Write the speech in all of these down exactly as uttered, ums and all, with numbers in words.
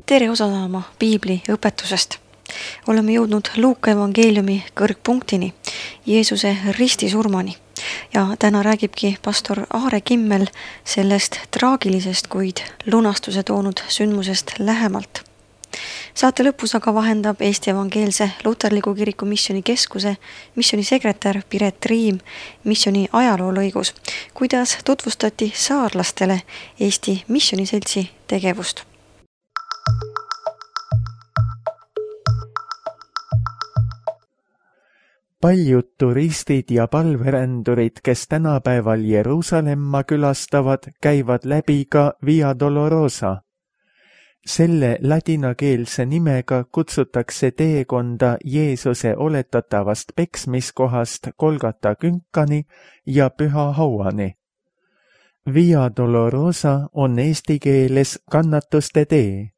tere osa saama piibli õpetusest. Oleme jõudnud Luuka evangeeliumi kõrgpunktini, Jeesuse ristisurmani. Ja täna räägibki pastor Aare Kimmel sellest traagilisest, kuid lunastuse toonud sündmusest lähemalt. Saate lõpus aga vahendab Eesti Evangeelse Luterliku Kiriku Misjoni Keskuse misjonisekretär Piret Riim misjoni ajaloolõigus, kuidas tutvustati saarlastele Eesti Misjoniseltsi tegevust. Paljud turistid ja palverändurid, kes tänapäeval Jeruusalemma külastavad, käivad läbi ka Via Dolorosa. Selle ladinakeelse nimega kutsutakse teekonda Jeesuse oletatavast peksmiskohast Golgata künkani ja Püha hauani. Via Dolorosa on eesti keeles kannatuste tee.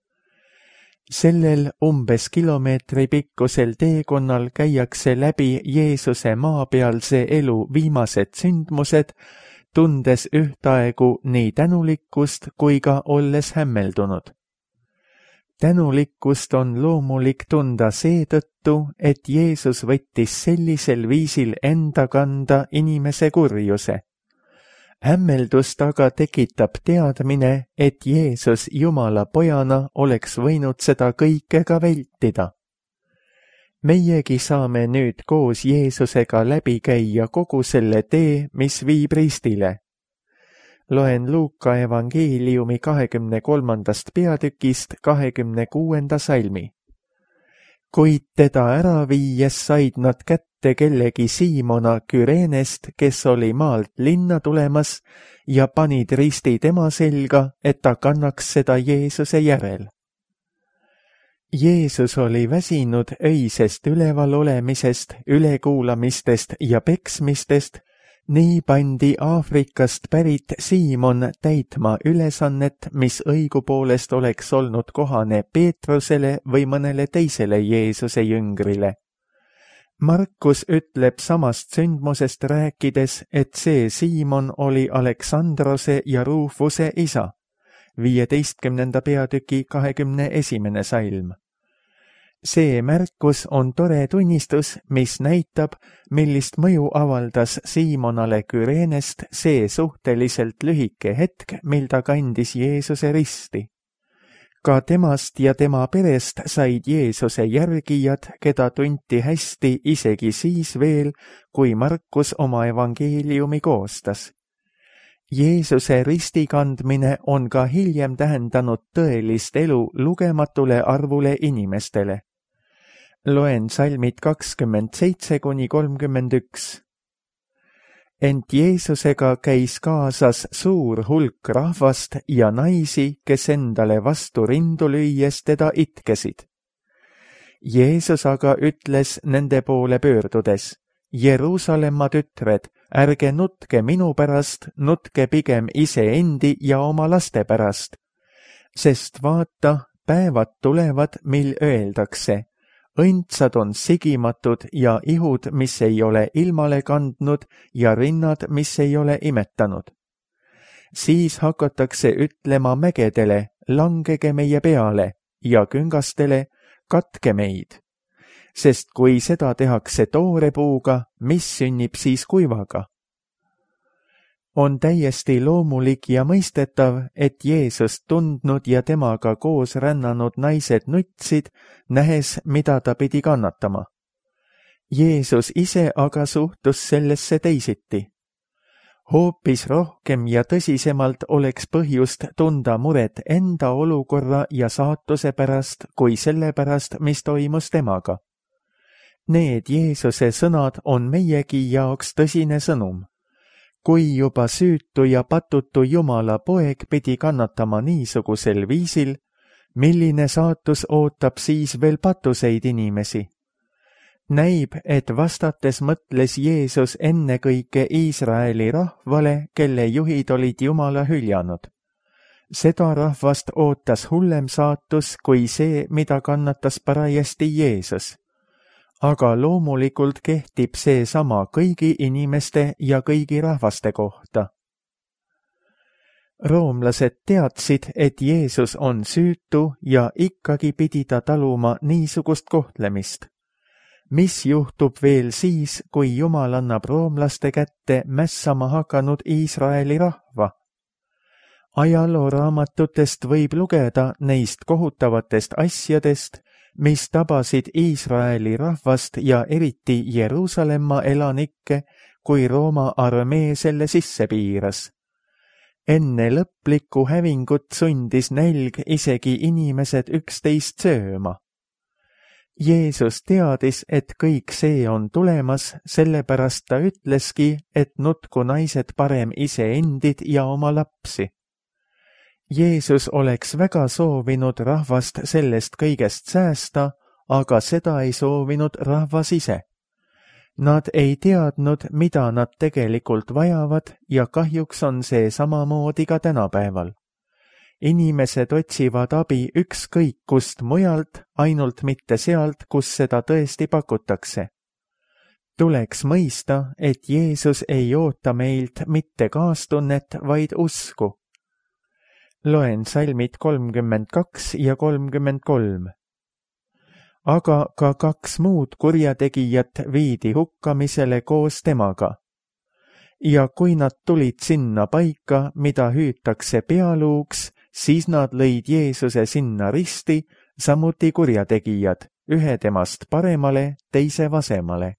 Sellel umbes kilomeetri pikkusel teekonnal käiakse läbi Jeesuse maapealse elu viimased sündmused, tundes ühtaegu nii tänulikkust kui ka olles hämmeldunud. Tänulikkust on loomulik tunda seetõttu, et Jeesus võttis sellisel viisil enda kanda inimese kurjuse. Hämmeldust aga tekitab teadmine, et Jeesus Jumala pojana oleks võinud seda kõike ka vältida. Meiegi saame nüüd koos Jeesusega läbi käia kogu selle tee, mis viib ristile. Loen Luuka evangeeliumi kahekümne kolmandast peatükist kahekümne kuuenda salmi. Kuid teda ära viies said nad kätte kellegi Siimona Küreenest, kes oli maalt linna tulemas, ja panid risti tema selga, et ta kannaks seda Jeesuse järel. Jeesus oli väsinud öisest üleval olemisest, ülekuulamistest ja peksmistest, nii pandi Aafrikast pärit Siimon täitma ülesannet, mis õigupoolest oleks olnud kohane Peetrusele või mõnele teisele Jeesuse jüngrile. Markus ütleb samast sündmusest rääkides, et see Siimon oli Aleksandrose ja Rufuse isa, viieteistkümnenda peatüki kahekümne esimene salm. See märkus on tore tunnistus, mis näitab, millist mõju avaldas Siimonale Küreenest see suhteliselt lühike hetk, mil ta kandis Jeesuse risti. Ka temast ja tema perest said Jeesuse järgijad, keda tunti hästi isegi siis veel, kui Markus oma evangeeliumi koostas. Jeesuse ristikandmine on ka hiljem tähendanud tõelist elu lugematule arvule inimestele. Loen salmid kakskümmend seitse kuni kolmkümmend üks. Ent Jeesusega käis kaasas suur hulk rahvast ja naisi, kes endale vastu rindu lüües teda itkesid. Jeesus aga ütles nende poole pöördudes, Jeruusalemma tütred, ärge nutke minu pärast, nutke pigem iseendi ja oma laste pärast. Sest vaata, päevad tulevad, mil öeldakse, õndsad on sigimatud ja ihud, mis ei ole ilmale kandnud ja rinnad, mis ei ole imetanud. Siis hakatakse ütlema mägedele, langege meie peale, ja küngastele, katke meid. Sest kui seda tehakse toore puuga, mis sünnib siis kuivaga? On täiesti loomulik ja mõistetav, et Jeesust tundnud ja temaga koos rännanud naised nutsid, nähes, mida ta pidi kannatama. Jeesus ise aga suhtus sellesse teisiti. Hoopis rohkem ja tõsisemalt oleks põhjust tunda muret enda olukorra ja saatuse pärast, kui selle pärast, mis toimus temaga. Need Jeesuse sõnad on meiegi jaoks tõsine sõnum. Kui juba süütu ja patutu Jumala poeg pidi kannatama niisugusel viisil, milline saatus ootab siis veel patuseid inimesi? Näib, et vastates mõtles Jeesus ennekõike Iisraeli rahvale, kelle juhid olid Jumala hüljanud. Seda rahvast ootas hullem saatus kui see, mida kannatas parajasti Jeesus. Aga loomulikult kehtib see sama kõigi inimeste ja kõigi rahvaste kohta. roomlased teadsid, et Jeesus on süütu ja ikkagi pidi ta taluma niisugust kohtlemist. Mis juhtub veel siis, kui Jumal annab roomlaste kätte mässama hakanud Iisraeli rahva? Ajalooraamatutest võib lugeda neist kohutavatest asjadest, mis tabasid Iisraeli rahvast ja eriti Jeruusalemma elanikke, kui Rooma armee selle sisse piiras. Enne lõplikku hävingut sundis nälg isegi inimesed üksteist sööma. Jeesus teadis, et kõik see on tulemas, sellepärast ta ütleski, et nutku naised parem iseendid ja oma lapsi. Jeesus oleks väga soovinud rahvast sellest kõigest säästa, aga seda ei soovinud rahvas ise. Nad ei teadnud, mida nad tegelikult vajavad ja kahjuks on see samamoodi ka tänapäeval. Inimesed otsivad abi ükskõik kust mujalt, ainult mitte sealt, kus seda tõesti pakutakse. Tuleks mõista, et Jeesus ei oota meilt mitte kaastunnet, vaid usku. Loen salmid kolmkümmend kaks ja kolmkümmend kolm. Aga ka kaks muud kurjategijat viidi hukkamisele koos temaga. Ja kui nad tulid sinna paika, mida hüütakse pealuuks, siis nad lõid Jeesuse sinna risti, samuti kurjategijad, ühe temast paremale, teise vasemale.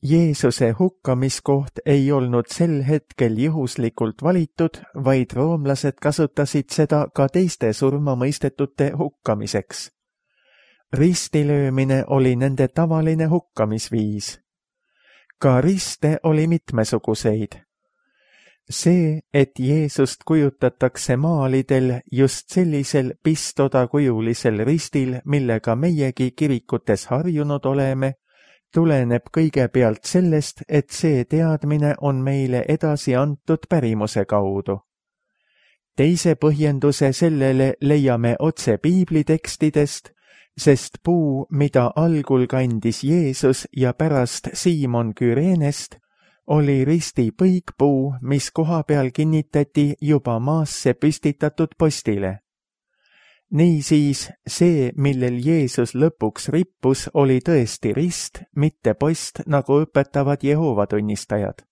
Jeesuse hukkamiskoht ei olnud sel hetkel juhuslikult valitud, vaid roomlased kasutasid seda ka teiste surmamõistetute hukkamiseks. Ristilöömine oli nende tavaline hukkamisviis. Ka riste oli mitmesuguseid. See, et Jeesust kujutatakse maalidel just sellisel pistodakujulisel ristil, millega meiegi kirikutes harjunud oleme, tuleneb kõigepealt sellest, et see teadmine on meile edasi antud pärimuse kaudu. Teise põhjenduse sellele leiame otse piiblitekstidest, sest puu, mida algul kandis Jeesus ja pärast Siimon Küreenest, oli risti põikpuu, mis kohapeal kinnitati juba maasse püstitatud postile. Niisiis, see, millel Jeesus lõpuks rippus, oli tõesti rist, mitte post, nagu õpetavad Jehoova tunnistajad.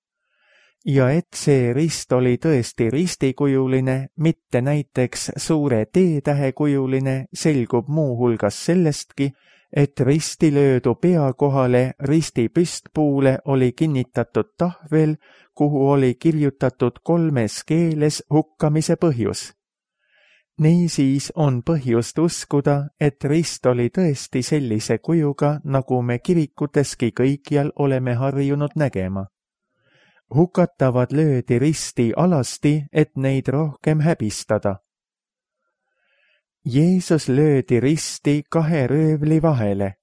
Ja et see rist oli tõesti ristikujuline, mitte näiteks suure T-tähekujuline, selgub muu hulgas sellestki, et risti löödu pea kohale risti püstpuule oli kinnitatud tahvel, kuhu oli kirjutatud kolmes keeles hukkamise põhjus. Niisiis on põhjust uskuda, et rist oli tõesti sellise kujuga, nagu me kirikuteski kõikjal oleme harjunud nägema. Hukatavad löödi risti alasti, et neid rohkem häbistada. Jeesus löödi risti kahe röövli vahele.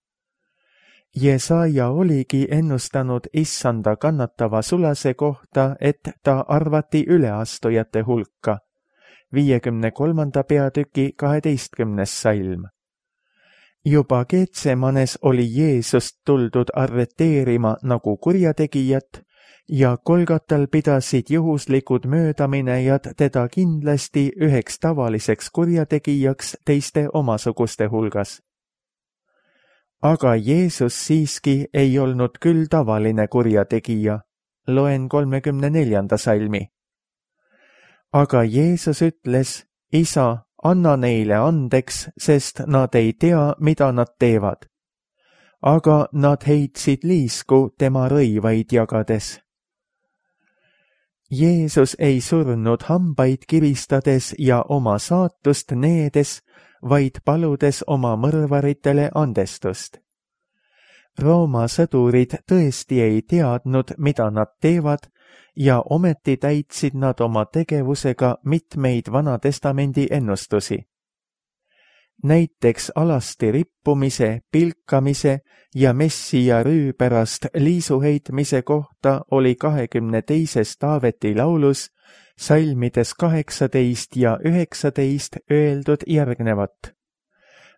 Jesaja oligi ennustanud issanda kannatava sulase kohta, et ta arvati üleastujate hulka. viiekümne kolmanda peatüki kaheteistkümnes salm. Juba Geetsemanes oli Jeesust tuldud arreteerima nagu kurjategijat ja Golgatal pidasid juhuslikud möödaminejad teda kindlasti üheks tavaliseks kurjategijaks teiste omasuguste hulgas. Aga Jeesus siiski ei olnud küll tavaline kurjategija. Loen kolmekümne neljanda salmi. Aga Jeesus ütles, Isa, anna neile andeks, sest nad ei tea, mida nad teevad. Aga nad heitsid liisku tema rõivaid jagades. Jeesus ei surnud hambaid kiristades ja oma saatust needes, vaid paludes oma mõrvaritele andestust. Rooma sõdurid tõesti ei teadnud, mida nad teevad, ja ometi täitsid nad oma tegevusega mitmeid Vanatestamendi ennustusi. Näiteks alasti rippumise, pilkamise ja Messia rüü pärast liisuheitmise kohta oli kahekümne teises Taaveti laulus salmides kaheksateist ja üheksateist öeldud järgnevat.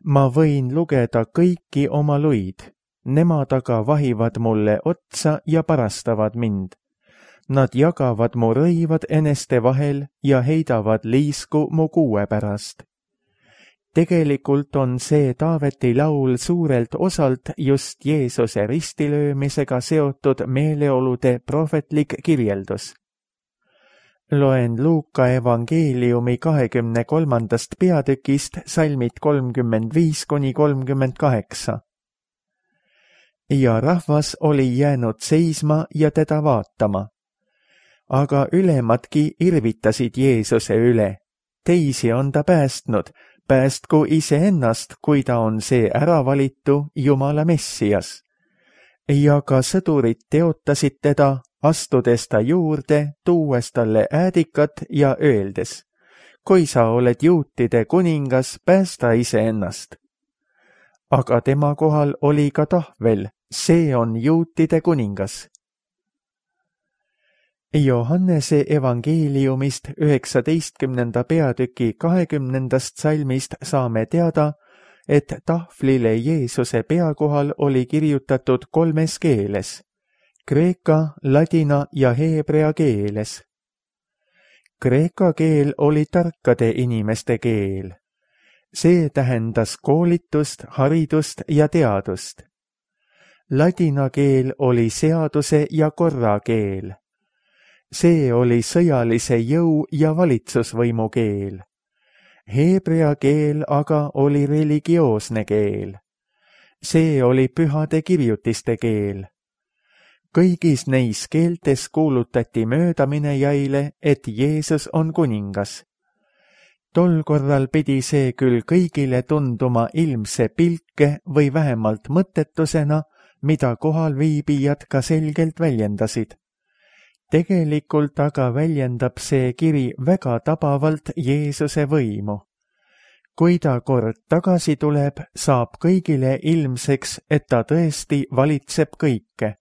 Ma võin lugeda kõiki oma luid, nemad aga vahivad mulle otsa ja parastavad mind. Nad jagavad mu rõivad eneste vahel ja heidavad liisku mu kuue pärast. Tegelikult on see Taaveti laul suurelt osalt just Jeesuse ristilöömisega seotud meeleolude prohvetlik kirjeldus. Loen Luuka evangeeliumi kahekümne kolmandast peatükist salmid kolmkümmend viis kuni kolmkümmend kaheksa. Ja rahvas oli jäänud seisma ja teda vaatama. Aga ülemadki irvitasid Jeesuse üle. Teisi on ta päästnud, päästku iseennast, kui ta on see äravalitu Jumala Messias. Ja ka sõdurid teotasid teda, astudes ta juurde, tuues talle äädikat ja öeldes, kui sa oled juutide kuningas, päästa iseennast. Aga tema kohal oli ka tahvel, see on juutide kuningas. Johannese evangeeliumist üheksateistkümnenda peatüki kahekümnendast salmist saame teada, et tahvlile Jeesuse pea kohal oli kirjutatud kolmes keeles, kreeka, ladina ja heebrea keeles. Kreeka keel oli tarkade inimeste keel. See tähendas koolitust, haridust ja teadust. Ladina keel oli seaduse ja korra keel. See oli sõjalise jõu ja valitsusvõimu keel. Heebrea keel aga oli religioosne keel. See oli pühade kirjutiste keel. Kõigis neis keeltes kuulutati möödaminejaile, et Jeesus on kuningas. Tol korral pidi see küll kõigile tunduma ilmse pilke või vähemalt mõttetusena, mida kohalviibijad ka selgelt väljendasid. Tegelikult aga väljendab see kiri väga tabavalt Jeesuse võimu. Kui ta kord tagasi tuleb, saab kõigile ilmseks, et ta tõesti valitseb kõike.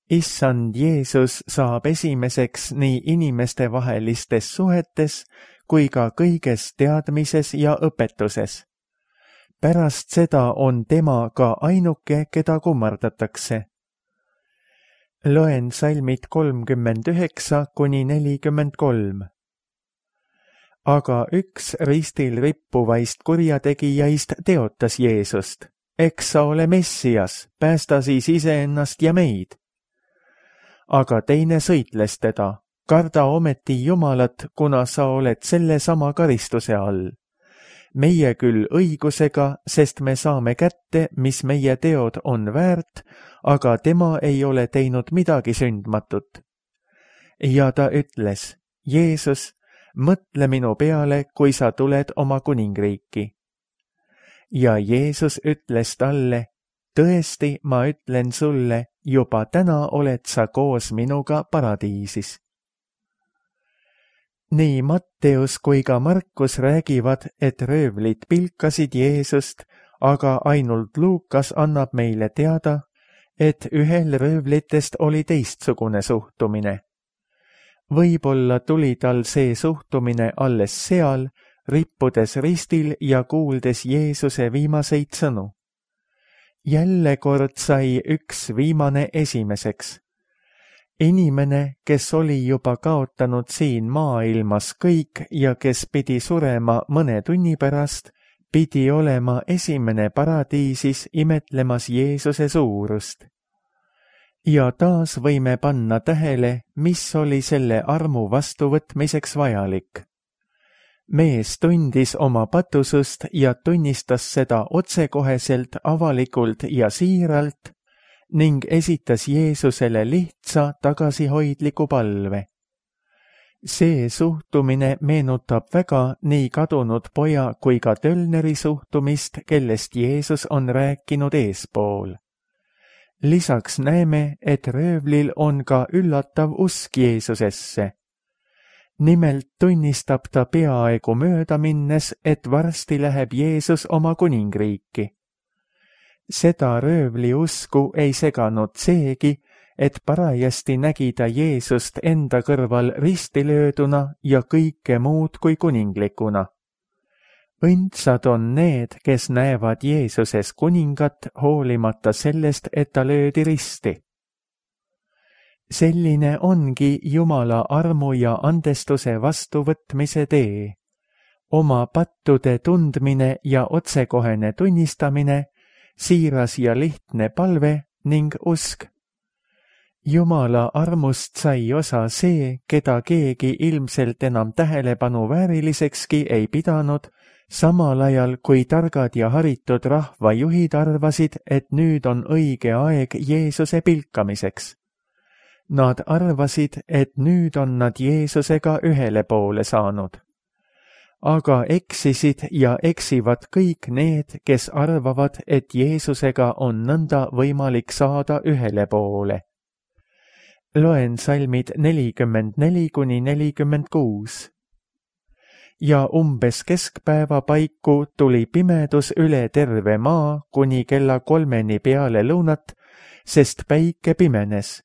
Issand Jeesus saab esimeseks nii inimestevahelistes suhetes kui ka kõiges teadmises ja õpetuses. Pärast seda on tema ka ainuke, keda kummardatakse. Loen salmid kolmkümmend üheksa kuni nelikümmend kolm. Aga üks ristil rippuvaist kurjategijaist teotas Jeesust. Eks sa ole Messias, päästa siis iseennast ja meid. Aga teine sõitles teda, karda ometi Jumalat, kuna sa oled selle sama karistuse all. Meie küll õigusega, sest me saame kätte, mis meie teod on väärt, aga tema ei ole teinud midagi sündmatut. Ja ta ütles, Jeesus, mõtle minu peale, kui sa tuled oma kuningriiki. Ja Jeesus ütles talle, tõesti, ma ütlen sulle, juba täna oled sa koos minuga paradiisis. Nii Matteus kui ka Markus räägivad, et röövlid pilkasid Jeesust, aga ainult Luukas annab meile teada, et ühel röövlitest oli teistsugune suhtumine. Võib-olla tuli tal see suhtumine alles seal, rippudes ristil ja kuuldes Jeesuse viimaseid sõnu. Jälle kord sai üks viimane esimeseks. Inimene, kes oli juba kaotanud siin maailmas kõik ja kes pidi surema mõne tunni pärast, pidi olema esimene paradiisis imetlemas Jeesuse suurust. Ja taas võime panna tähele, mis oli selle armu vastuvõtmiseks vajalik. Mees tundis oma patusust ja tunnistas seda otsekoheselt, avalikult ja siiralt ning esitas Jeesusele lihtsa tagasihoidliku palve. See suhtumine meenutab väga nii kadunud poja kui ka tölneri suhtumist, kellest Jeesus on rääkinud eespool. Lisaks näeme, et röövlil on ka üllatav usk Jeesusesse. Nimelt tunnistab ta peaaegu mööda minnes, et varsti läheb Jeesus oma kuningriiki. Seda röövli usku ei seganud seegi, et parajasti nägi ta Jeesust enda kõrval ristilööduna ja kõike muud kui kuninglikuna. Õndsad on need, kes näevad Jeesuses kuningat hoolimata sellest, et ta löödi risti. selline ongi Jumala armu ja andestuse vastuvõtmise tee. Oma pattude tundmine ja otsekohene tunnistamine, siiras ja lihtne palve ning usk. Jumala armust sai osa see, keda keegi ilmselt enam tähelepanu väärilisekski ei pidanud, samal ajal kui targad ja haritud rahvajuhid arvasid, et nüüd on õige aeg Jeesuse pilkamiseks. Nad arvasid, et nüüd on nad Jeesusega ühele poole saanud. Aga eksisid ja eksivad kõik need, kes arvavad, et Jeesusega on nõnda võimalik saada ühele poole. Loen salmid nelikümmend neli kuni nelikümmend kuus. Ja umbes keskpäeva paiku tuli pimedus üle terve maa kuni kella kolmeni peale lõunat, sest päike pimenes,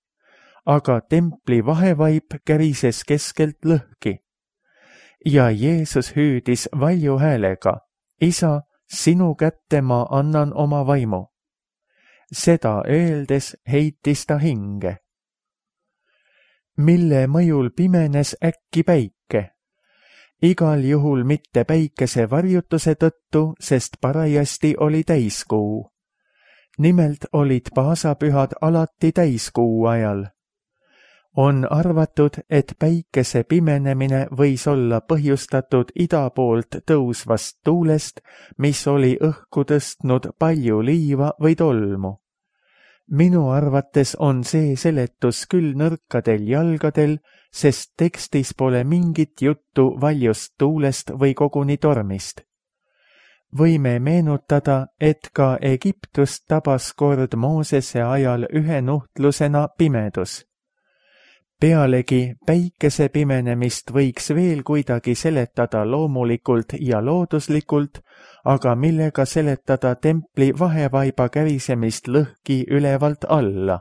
aga templi vahevaip kärises keskelt lõhki. Ja Jeesus hüüdis valju häälega, Isa, sinu kätte ma annan oma vaimu. Seda öeldes heitis ta hinge. Mille mõjul pimenes äkki päike? Igal juhul mitte päikese varjutuse tõttu, sest parajasti oli täiskuu. Nimelt olid paasapühad alati täiskuu ajal. On arvatud, et päikese pimenemine võis olla põhjustatud ida poolt tõusvast tuulest, mis oli õhku tõstnud palju liiva või tolmu. Minu arvates on see seletus küll nõrkadel jalgadel, sest tekstis pole mingit juttu valjust tuulest või koguni tormist. Võime meenutada, et ka Egiptust tabas kord Moosese ajal ühe nuhtlusena pimedus. Pealegi päikese pimenemist võiks veel kuidagi seletada loomulikult ja looduslikult, aga millega seletada templi vahevaiba kärisemist lõhki ülevalt alla.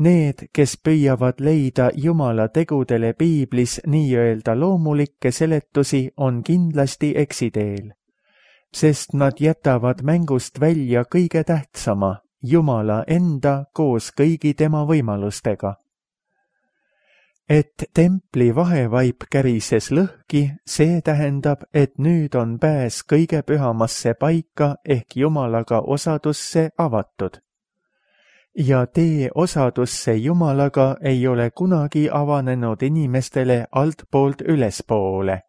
Need, kes püüavad leida Jumala tegudele piiblis nii-öelda loomulikke seletusi, on kindlasti eksiteel, sest nad jätavad mängust välja kõige tähtsama, Jumala enda koos kõigi tema võimalustega. Et templi vahevaip kärises lõhki, see tähendab, et nüüd on pääs kõige pühamasse paika ehk Jumalaga osadusse avatud. Ja tee osadusse Jumalaga ei ole kunagi avanenud inimestele altpoolt ülespoole.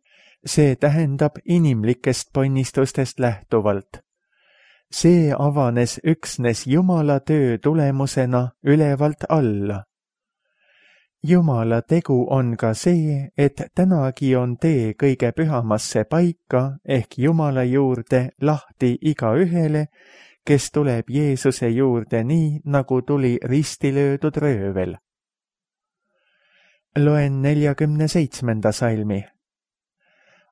See tähendab inimlikest ponnistustest lähtuvalt. See avanes üksnes Jumala töö tulemusena ülevalt alla. Jumala tegu on ka see, et tänagi on tee kõige pühamasse paika ehk Jumala juurde lahti igaühele, kes tuleb Jeesuse juurde nii, nagu tuli risti löödud röövel. Loen neljakümne seitsmenda salmi.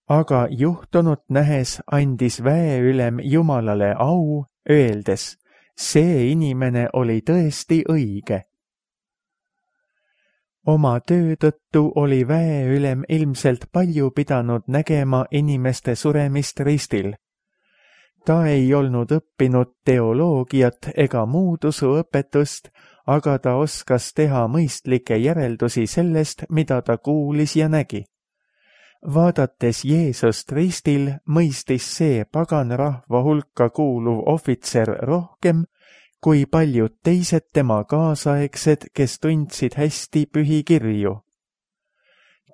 Aga juhtunut nähes andis väeülem Jumalale au, öeldes, see inimene oli tõesti õige. Oma töö tõttu oli väeülem ilmselt palju pidanud nägema inimeste suremist ristil. Ta ei olnud õppinud teoloogiat ega muud usuõpetust, aga ta oskas teha mõistlikke järeldusi sellest, mida ta kuulis ja nägi. Vaadates Jeesust ristil, mõistis see pagan rahva hulka kuuluv ohvitser rohkem, kui paljud teised tema kaasaegsed, kes tundsid hästi pühi kirju.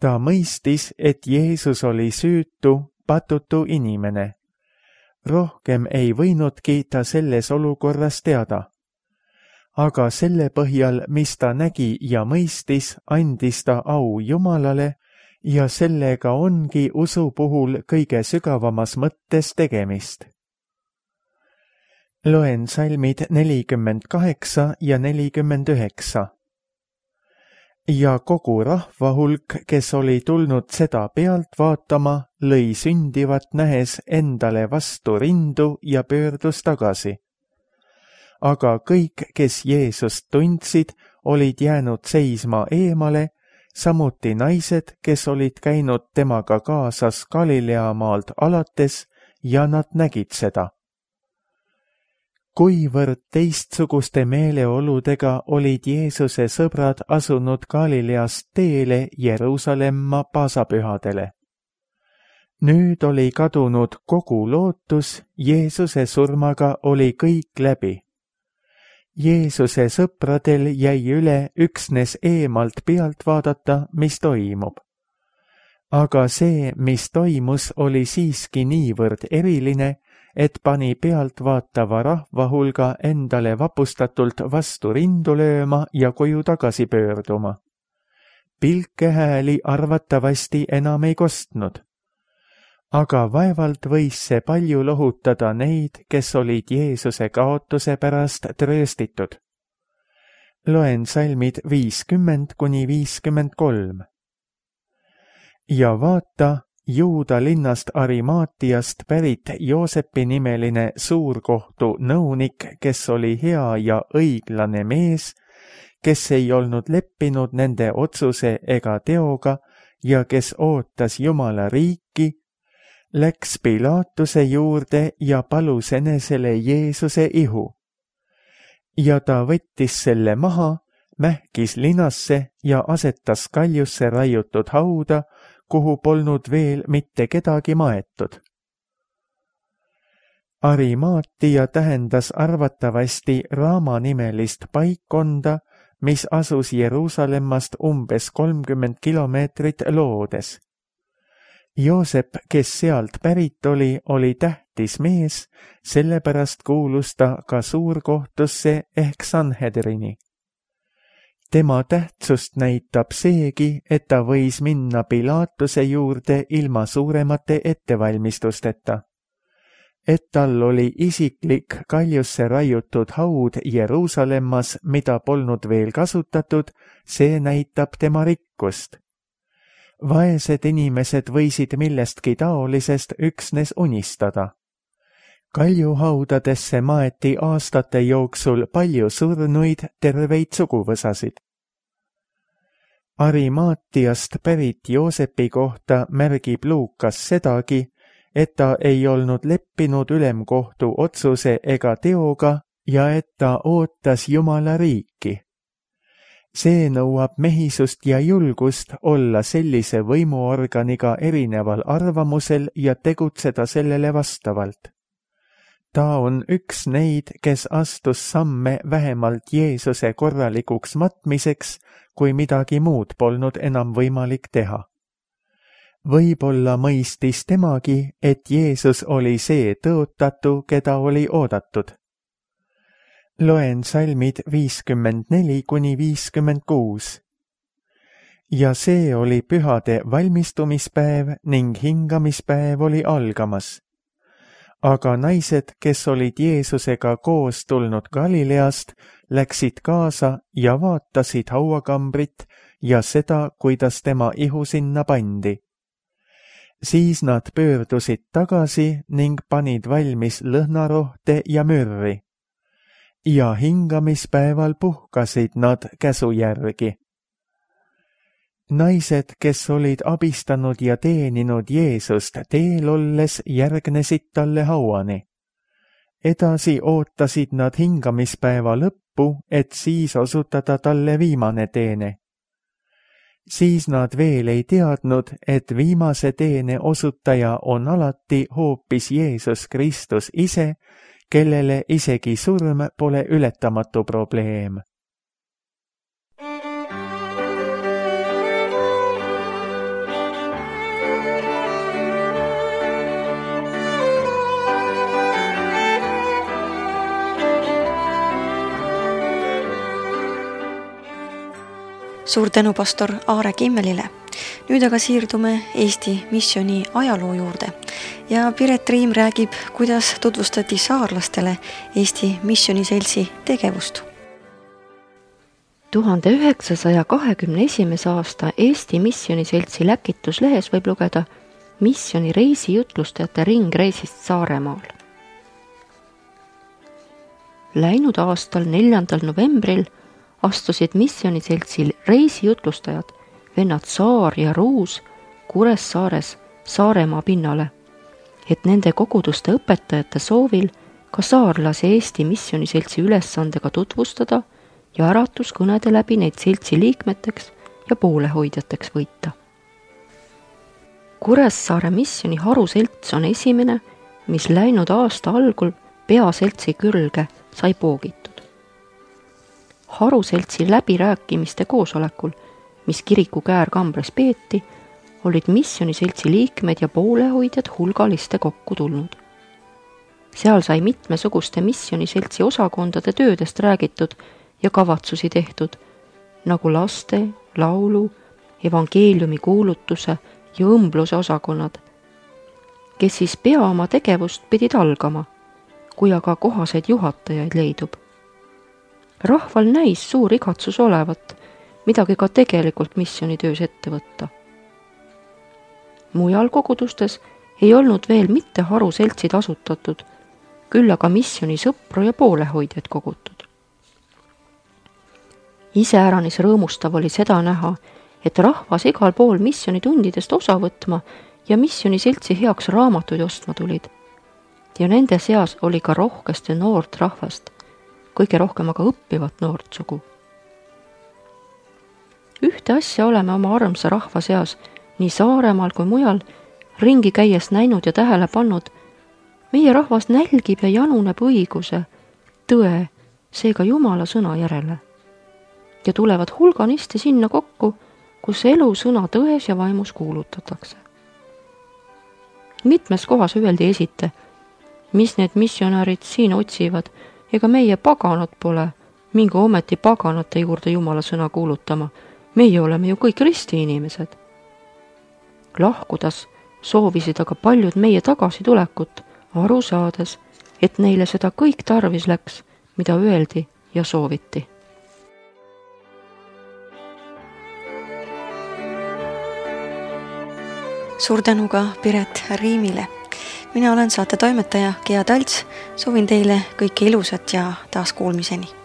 Ta mõistis, et Jeesus oli süütu, patutu inimene. Rohkem ei võinudki ta selles olukorras teada. Aga selle põhjal, mis ta nägi ja mõistis, andis ta au Jumalale ja sellega ongi usu puhul kõige sügavamas mõttes tegemist. Loen salmid nelikümmend kaheksa ja nelikümmend üheksa. Ja kogu rahva hulk, kes oli tulnud seda pealt vaatama, lõi sündivat nähes endale vastu rindu ja pöördus tagasi. Aga kõik, kes Jeesust tundsid, olid jäänud seisma eemale, samuti naised, kes olid käinud temaga kaasas Galilea maalt alates ja nad nägid seda. kuivõrd teistsuguste meeleoludega olid Jeesuse sõbrad asunud Galileast teele Jeruusalemma paasapühadele. Nüüd oli kadunud kogu lootus, Jeesuse surmaga oli kõik läbi. Jeesuse sõpradel jäi üle üksnes eemalt pealt vaadata, mis toimub. Aga see, mis toimus, oli siiski niivõrd eriline, et pani pealt vaatava rahva hulga endale vapustatult vastu rindu lööma ja koju tagasi pöörduma. Pilkehääli arvatavasti enam ei kostnud. Aga vaevalt võis see palju lohutada neid, kes olid Jeesuse kaotuse pärast trööstitud. Loen salmid viiskümmend kuni viiskümmend kolm. Ja vaata, Juuda linnast Arimaatiast pärit Joosepi nimeline suurkohtu nõunik, kes oli hea ja õiglane mees, kes ei olnud leppinud nende otsuse ega teoga ja kes ootas Jumala riiki, läks Pilaatuse juurde ja palus enesele Jeesuse ihu. Ja ta võttis selle maha, mähkis linasse ja asetas kaljusse raiutud hauda, kuhu polnud veel mitte kedagi maetud. Arimaatia tähendas arvatavasti Raama-nimelist paikkonda, mis asus Jeruusalemmast umbes kolmkümmend kilomeetrit loodes. Joosep, kes sealt pärit oli, oli tähtis mees, sellepärast kuulus ta ka suurkohtusse ehk Sanhedrini. Tema tähtsust näitab seegi, et ta võis minna Pilaatuse juurde ilma suuremate ettevalmistusteta. Et tal oli isiklik kaljusse raiutud haud Jeruusalemmas, mida polnud veel kasutatud, see näitab tema rikkust. Vaesed inimesed võisid millestki taolisest üksnes unistada. Kaljuhaudadesse maeti aastate jooksul palju surnuid, terveid suguvõsasid. Arimaatiast pärit Joosepi kohta märgib Luukas sedagi, et ta ei olnud leppinud ülemkohtu otsuse ega teoga ja et ta ootas Jumala riiki. See nõuab mehisust ja julgust olla sellise võimuorganiga erineval arvamusel ja tegutseda sellele vastavalt. Ta on üks neid, kes astus samme vähemalt Jeesuse korralikuks matmiseks, kui midagi muud polnud enam võimalik teha. Võib-olla mõistis temagi, et Jeesus oli see tõotatu, keda oli oodatud. Loen salmid viiskümmend neli kuni viiskümmend kuus. Ja see oli pühade valmistumispäev ning hingamispäev oli algamas. Aga naised, kes olid Jeesusega koos tulnud Galileast, läksid kaasa ja vaatasid hauakambrit ja seda, kuidas tema ihu sinna pandi. Siis nad pöördusid tagasi ning panid valmis lõhnarohte ja mürri. Ja hingamispäeval puhkasid nad käsu järgi. Naised, kes olid abistanud ja teeninud Jeesust teel olles, järgnesid talle hauani. Edasi ootasid nad hingamispäeva lõppu, et siis osutada talle viimane teene. Siis nad veel ei teadnud, et viimase teene osutaja on alati hoopis Jeesus Kristus ise, kellele isegi surm pole ületamatu probleem. Suur tänu pastor Aare Kimmelile. Nüüd aga siirdume Eesti missiooni ajaloo juurde ja Piret Riim räägib, kuidas tutvustati saarlastele Eesti missioniseltsi tegevust. tuhande üheksasaja kahekümne esimese aasta Eesti missioniseltsi läkituslehes võib lugeda missiooni reisijutlustajate ringreisist Saaremaal. Läinud aastal neljandal novembril astusid missioniseltsil reisijutlustajad vennad Saar ja Ruus Kuressaares Saaremaa pinnale, et nende koguduste õpetajate soovil ka saarlase Eesti Missioniseltsi ülesandega tutvustada ja äratuskõnede läbi neid seltsi liikmeteks ja poolehoidjateks võita. Kuressaare missioni haruselts on esimene, mis läinud aasta algul peaseltsi külge sai poogitud. Haruseltsi läbirääkimiste koosolekul, mis kiriku Käär-Kambres peeti, olid missioniseltsi liikmed ja poolehoidjad hulgaliste kokku tulnud. Seal sai mitmesuguste missioniseltsi osakondade töödest räägitud ja kavatsusi tehtud, nagu laste, laulu, evangeeliumi kuulutuse ja õmbluse osakonnad, kes siis pea oma tegevust pidid algama, kui aga kohaseid juhatajaid leidub. Rahval näis suur igatsus olevat, midagi ka tegelikult missionitöös ette võtta. Mujal kogudustes ei olnud veel mitte haruseltsid asutatud, küll aga missioni sõpru ja poolehoidjaid kogutud. Iseäranis rõõmustav oli seda näha, et rahvas igal pool missionitundidest osa võtma ja missioniseltsi heaks raamatuid ostma tulid. Ja nende seas oli ka rohkeste noort rahvast, kõige rohkem aga õppivat noort sugu. Ühte asja oleme oma armsa rahva seas nii Saaremaal kui mujal ringi käies näinud ja tähele pannud, meie rahvas nälgib ja januneb õiguse, tõe, seega Jumala sõna järele. Ja tulevad hulganisti sinna kokku, kus elu sõna tões ja vaimus kuulutatakse. Mitmes kohas öeldi esite, mis need missionärid siin otsivad, ega meie paganad pole, minge ometi paganate juurde Jumala sõna kuulutama, meie oleme ju kõik risti inimesed. Lahkudas soovisid aga paljud meie tagasitulekut, aru saades, et neile seda kõik tarvis läks, mida öeldi ja sooviti. Suur tänu ka Piret Riimile. Mina olen saate toimetaja Gea Talts, soovin teile kõike ilusat ja taas kuulmiseni.